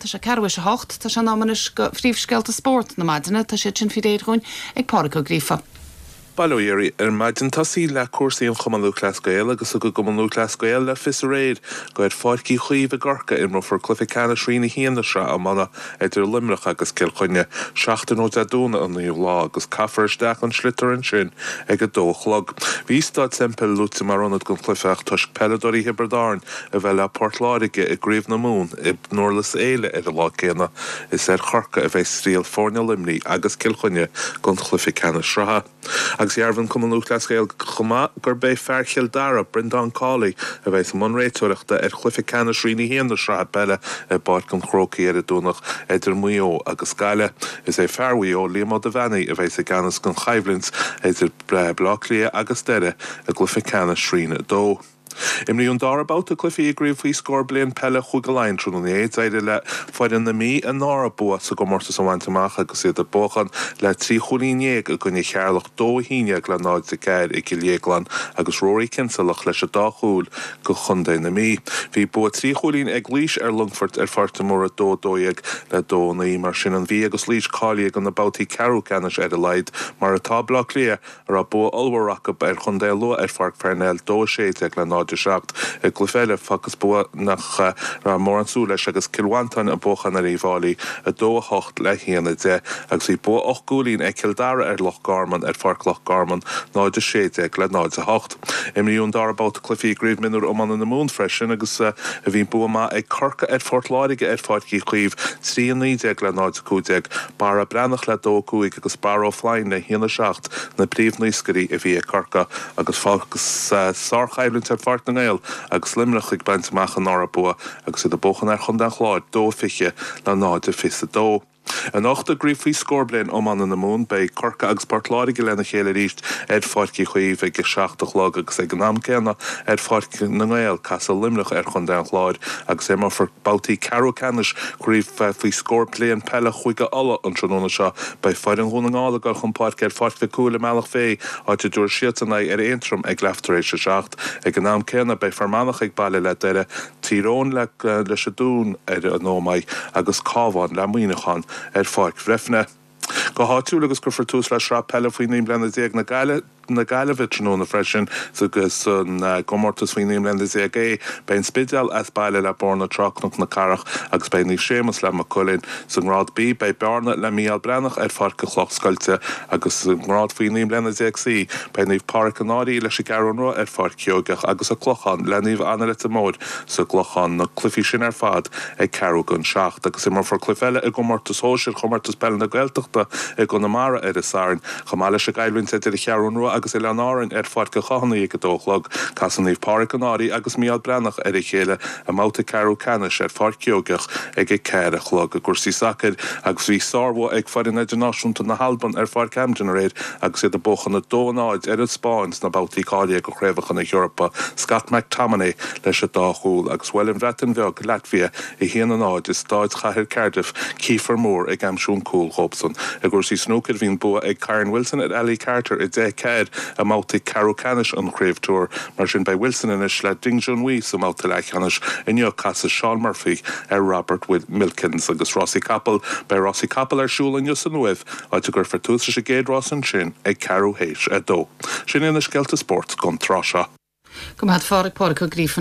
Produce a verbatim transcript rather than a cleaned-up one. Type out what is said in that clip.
Tá sé ceathrú théis a hocht, tá sé in am anois do phríomhscéalta spóirt na maidine, tá siad sin faoi réir dhúinn ag Pádraig Ó Gríofa. Bail ó Dhia oraibh ar maidin tosaí le cúrsaí an Chumann Lúthchleas Gael agus thug an Cumann Lúthchleas Gael le fios aréir gur ar Pháirc Uí Chaoimh i gCorcaigh a imreofar cluiche ceannais Roinn a haon na sraithe iomána idir Luimneach agus Cill Chainnigh seachtain ó Dé Domhnaigh an naoú lá agus caithfear isteach an sliotar ansin ag a dó a chlog. Bhí Staid Semple luaite mar ionad don chluiche ach toisc peileadóirí Thiobraid Árann a bheith le Port Láirge i gCraobh na Mumhan i nDurlas Éile ar an lá céanna is ar Chorcaigh a bheidh triall foirne Luimnigh agus Cill Chainnigh don chluiche ceannais sraithe. Agus dhearbhaigh an Cumann Lúthchleas Gael chomh maith gurb é fear Chill Dara, Brendan Cawley, a bheidh i mbun réiteoireachta ar chluiche ceannais Roinn a haon na sraithe peile i bPáirc an Chrócaigh ar an Domhnach idir Maigh Eo agus Gaillimh. Is é fear Mhaigh Eo, Liam Ó Duibheannaigh, a bheidh i gceannas don choimhlint idir Baile Átha Cliath agus Doire i gcluiche ceannais Roinn a dó. Imríodh an dara babhta cluichí i gcraobh faoi scór bliain peile Chúige Laighean tráthnóna inné d'éirigh le foireann na Mí a ndara bua sa gcomórtas a bhaint amach agus iad ag buachan le trí chúilín déag i gcoinne Cheatharlach dó a haon déag le náid a ceathair i gCill Dhéagláin agus Rory Kinselach leis an dá chúl do Chontae na Mí. Bhí bua trí chúilín ag Laois ar Longfort ar Pháirc de Mór dó dó dhéag le dó naoi mar sin an Mhí agus Laois cáilithe do na babhtaí ceathrú ceannais ar a laghad mar atá Bleá Cliath a raibh bua ollmhór acu ar Chontae Lú ar Pháirc Parnell dó sé déag le náid seacht i gcluiche eile facthas bua nach raibh mórán súil leis agus Cill Mhantáin ag buachan ar Uíbh Fhailí a dó a hocht le haon a deich agus bhí bua ocht gcúilín ag Cill Dara ar Loch Garman ar Pháirc Loch Garman náid a sé déag le náid a hocht. Imríodh an dara babhta cluichí i gcraobh mionúr iomána na Mumhan freisin agus a bhí bua maith ag Corcaigh ar Phort Láirge ar Pháirc Uí Chaoimh trí a naoi déag le náid a cúig déag Barra Breathnach le dó cúig agus Barra Ó Floinn le haon a seacht na príomhnaoscairí a bhí ag Corcaigh agus fágas sárchoimhlint ar Pháirc na nGael agus Luimneach ag baint amach an dara bua agus iad ag buachan ar Chontae an Chláir dó fiche le náid a fiche dó. Anocht i gcraobh faoi scór bliain iomána na Mumhan beidh Corcaigh agus Port Láirge lena chéile arís ar Pháirc Uí Chaoimh ag a seacht a chlog agus ag an am céanna ar Pháirc na nGael casfaidh Luimneach ar Chontae an Chláir agus imreofar babhtaí ceathrú ceannais craobh faoi scór bliain peile Chúige Uladh an tráthnóna seo beidh foireann Dhún na nGall ag dul chun páirce ar Pháirc Mhic Cumhaill i mBealach Féich áit a dtabharfaidh siadsan aghaidh ar Aontroim ag leath tar éis a seacht ag an am céanna beidh Fear Manach ag baile le Doire Tír Eoghain le leis an Dún ar an Ómaigh agus Cabhán le Muineachán ar Pháirc Bhreifne. Go háitiúil agus cuirfear tús le sraith peile faoi naoi mbliana déag na Gaillimhe na Gaillimhe tráthnóna freisin agus an gcomórtas faoi naoi mbliana déag é beidh an Spidéal as baile le Bord na Trá Cnoc na Cathrach agus beidh Naomh Séamus le Maigh Cuilinn sa ngrád B beidh Bearna le Mícheál Breathnach ar Pháirc an Chloch Scoilte agus sa ngrád faoi naoi mbliana déag C beidh Naomh Pádraig an Fhairche leis an gCeathrú Rua ar Pháirc Sheoigeach agus an Clochán le Naomh Anna Leitir Móir sa gClochán na cluichí sin ar fad ag ceathrú don seacht agus imreofar cluiche eile i gcomórtas shóisir chomórtas peile na Gaeltachta i gConamara ar an Satharn chomh maith leis an gcoimhlint idir an Cheathrú Rua agus Oileáin Árann ar Pháirc an Chathánaigh ag a dó a chlog casfaidh Naomh Pádraig an Fhairche agus Mícheál Breathnach ar a chéile i mbabhta ceathrú ceannais ar Pháirc Sheoigeach ag a ceathair a chlog i gcúrsaí sacair agus bhí sárbhua ag foireann idirnáisiúnta na hAlban ar Pháirc Hampden aréir agus iad ag buachan a dó náid ar an Spáinn sna babhtaí cáilithe do chraobhacha na hEorpa Scott McTominay leis an dá chúl agus bhuail an Bhreatain Bheag Latvia a haon a náid i staid chathair Cardiff Kieffer Moore ag aimsiú an cúl dóibhsan. I gcúrsaí snúcair bhí an bua ag Kyren Wilson ar Ali Carter i deich ceathair i mbabhta ceathrú ceannais an Chraobh Tour mar sin beidh Wilson anois le Ding Junhui sa mbabhta leathcheannais inniu casfaidh Shaun Murphy ar Robert with Milkins agus rásaí capall beidh rásaí capall ar siúl inniu san Uaimh áit a gcuirfear tús leis an gcéad rás ansin ag ceathrú théis a dó. Sin iad na scéalta spóirt don tráth seo. Go maith Phádraig Pádraig Ó Gríofa